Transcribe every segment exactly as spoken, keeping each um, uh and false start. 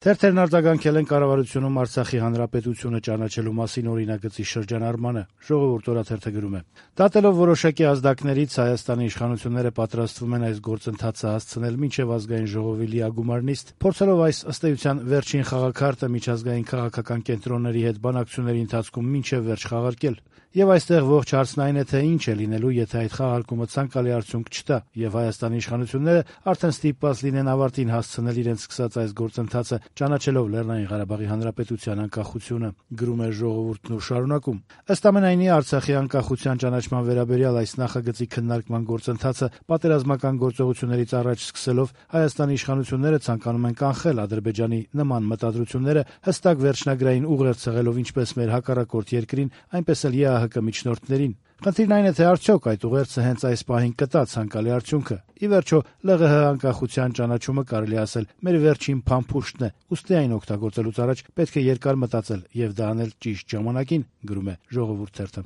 Թերթերն արձագանքել են կառավարությունում Արցախի հանրապետությունը ճանաչելու մասին օրինագծի շրջանառմանը։ Ժողովուրդ օրաթերթը գրում է. «Դատելով որոշակի ազդակներից Հայաստանի իշխանությունները պատրաստվում են այս գործընթացը հասցնել մինչև ազգային ժողովի լիագումար նիստ, փորձելով այս ըստ էության վերջին խաղաքարտը միջազգային քաղաքական կենտրոնների հետ բանակցությունների ընթացքում մինչև վերջ խաղարկել։ Եվ այստեղ ողջ հարցն այն է, թե ինչ է լինելու, եթե այդ խաղարկումը ցանկալի արդյունք չտա, եւ Հայաստանի իշխանությունները արդեն ստիպված լինեն ավարտին հասցնել իրենց սկսած այս գործընթացը, ճանաչելով Լեռնային Ղարաբաղի Հանրապետության անկախությունը», գրում է Ժողովուրդն ու շարունակում. «Ըստ ամենայնի, Արցախի անկախության ճանաչման վերաբերյալ այս նախագծի քննարկման գործընթացը պատերազմական գործողություններից առաջ սկսելով Հայաստանի իշխանությունները ցանկանում են կանխել Ադրբեջանի նման մտադրությունները, հստակ վերջնագրային ուղերձ ցեղելով ինչպես մեր հակառակորդ երկրին, այնպես էլ ԵԱՀԿ միջնորդներին։ Խնդիրն այն է, թե արդյոք այդ ուղերձը հենց այս պահին կտա ցանկալի արդյունքը։ Ի վերջո, ԼՂՀ անկախության ճանաչումը կարելի է ասել մեր վերջին փամփուշտն է, ուստի այն օգտագործելուց առաջ պետք է երկար մտածել եւ դա անել ճիշտ ժամանակին», գրում է Ժողովուրդ թերթը։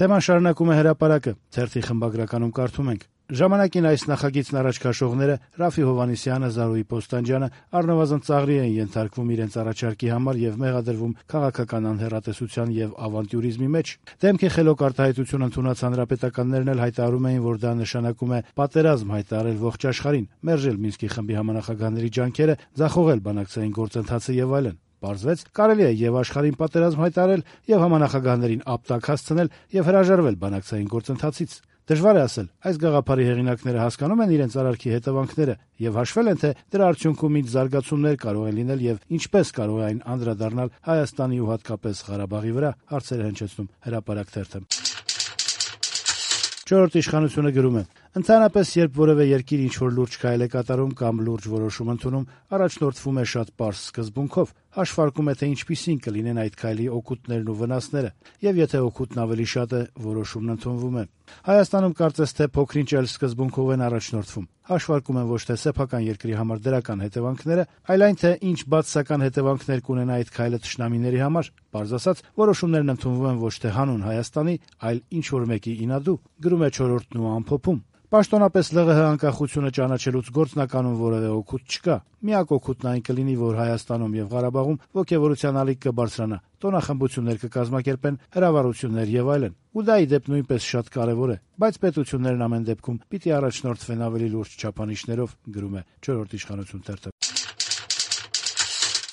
Թեման շարունակում է Հրապարակը։ Թերթի խմբագրականում կարդում ենք. «Ժամանակին այս նախագիծն առաջ քաշողները Ռաֆի Հովհաննիսյանը, Զարուհի Պոստանջյանը առնվազն ծաղրի են ենթարկվում իրենց առաջարկի համար եւ մեղադրվում քաղաքական անհեռատեսության եւ ավանտյուրիզմի մեջ։ Դեմքի խելոք արտահայտություն ընդունած հանրապետականներն էլ հայտարարում էին, որ դա նշանակում է պատերազմ հայտարարել ողջ աշխարհին, մերժել Մինսկի խմբի համանախագահների ջանքերը, ձախողել բանակցային գործընթացը եւ այլն։ Պարզվեց, կարելի է եւ աշխարհին պատերազմ հայտարարել, եւ համանախագահներին ապտակ հասցնել եւ հրաժարվել բանակցային գործընթացից։ Դժվար է ասել, այս գաղափարի հեղինակները հասկանում են իրենց արարքի հետևանքները եւ հաշվել են, թե դրա արդյունքում ինչ զարգացումներ կարող են լինել եւ ինչպես կարող է այն անդրադառնալ Հայաստանի ու հատկապես Ղարաբաղի վրա», հարցեր է հնչեցնում Հրապարակ թերթը։ Չորրորդ իշխանությունը գրում է. «Ընդհանրապես, երբ որևէ երկիր ինչ-որ լուրջ քայլ է կատարում կամ լուրջ որոշում ընդունում, առաջնորդվում է շատ պարզ սկզբունքով, հաշվարկում է, թե ինչպիսին կլինեն այդ քայլի օգուտներն ու վնասները, եւ եթե օգուտն ավելի շատ է, որոշումն ընդունվում է։ Հայաստանում կարծես թե փոքրինչ էլ սկզբունքով են առաջնորդվում, հաշվարկում են ոչ թե սեփական երկրի համար դրական հետևանքները, այլ այն, թե ինչ բացասական հետևանքներ կունենա այդ քայլը թշնամիների համար։ Պարզ ասած, որոշումներն ընդունվում են ոչ թե հանուն Հայաստանի, այլ ինչ-որ մեկի ինադու», գրում է Չորրորդն ու ամփոփում։ Պաշտոնապես ԼՂՀ անկախությունը ճանաչելուց գործնականում որևէ օգուտ չկա։ Միակ օգուտն այն կլինի, որ Հայաստանում եւ Ղարաբաղում ոգեւորության ալիք կբարձրանա, տոնախմբություններ կկազմակերպեն, հրավառություններ եւ այլն։ Ու դա ի դեպ նույնպես շատ կարեւոր է, բայց պետություններն ամեն դեպքում պիտի առաջնորդվեն ավելի լուրջ չափանիշներով, գրում է Չորրորդ իշխանություն թերթը։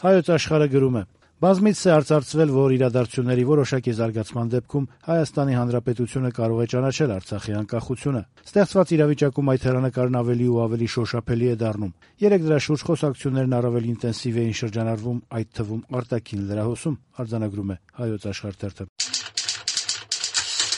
Հայոց Աշխարհը գրում է. «Բազմիցս է արծարծվել, որ իրադարձությունների որոշակի զարգացման դեպքում Հայաստանի Հանրապետությունը կարող է ճանաչել Արցախի անկախությունը։ Ստեղծված իրավիճակում այդ հեռանկարն ավելի ու ավելի շոշափելի է դառնում։ Երեք դրա շուրջ խոսակցություններն առավել ինտենսիվ էին շրջանառվում, այդ թվում արտաքին լրահոսում», արձանագրում է Հայոց Աշխարհ թերթը։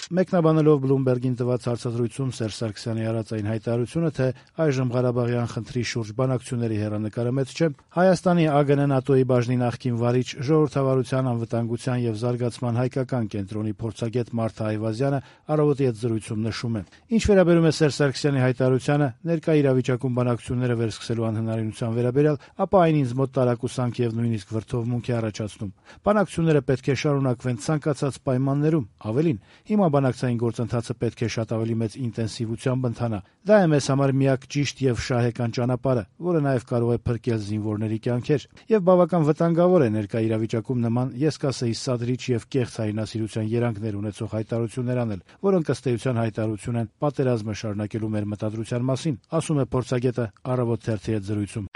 Մեկնաբանելով Բլումբերգին տված հարցազրույցում Սերժ Սարգսյանի արած այն հայտարարությունը, թե այժմ Ղարաբաղյան խնդրի շուրջ բանակցությունների հեռանկարը մեծ չէ, Հայաստանի ԱԳՆ-ՆԱՏՕ-ի բաժնի նախկին վարիչ, ժողովրդավարության, անվտանգության եւ զարգացման հայկական կենտրոնի փորձագետ Մարթա Այվազյանը «Առավոտ»-ի հետ զրույցում նշում է. «Ինչ վերաբերում է Սերժ Սարգսյանի հայտարարությանը, ներկա իրավիճակում բանակցությունները վերսկսելու անհնարինության վերաբերյալ, ապա այն ինձ մոտ տարակուսանք եւ նույնիսկ վրդովմունք է առաջացնում։ Բանակցությունները պետք է շարունակվեն ցանկացած պայմաններում, ավելին, հիմա բանակցային գործընթացը պետք է շատ ավելի մեծ ինտենսիվությամբ ընթանա։ Դա է մեզ համար միակ ճիշտ եւ շահեկան ճանապարհը, որը նաեւ կարող է փրկել զինվորների կյանքեր, եւ բավական վտանգավոր է ներկա իրավիճակում նման, ես կասեի, սադրիչ եւ կեղծ հայրենասիրության երանգներ ունեցող հայտարարություններ անել, որոնք ըստ էության հայտարարություն են պատերազմը շարունակելու մեր մտադրության մասին», ասում է փորձագետը «Առավոտ» թերթի հետ զրույցում։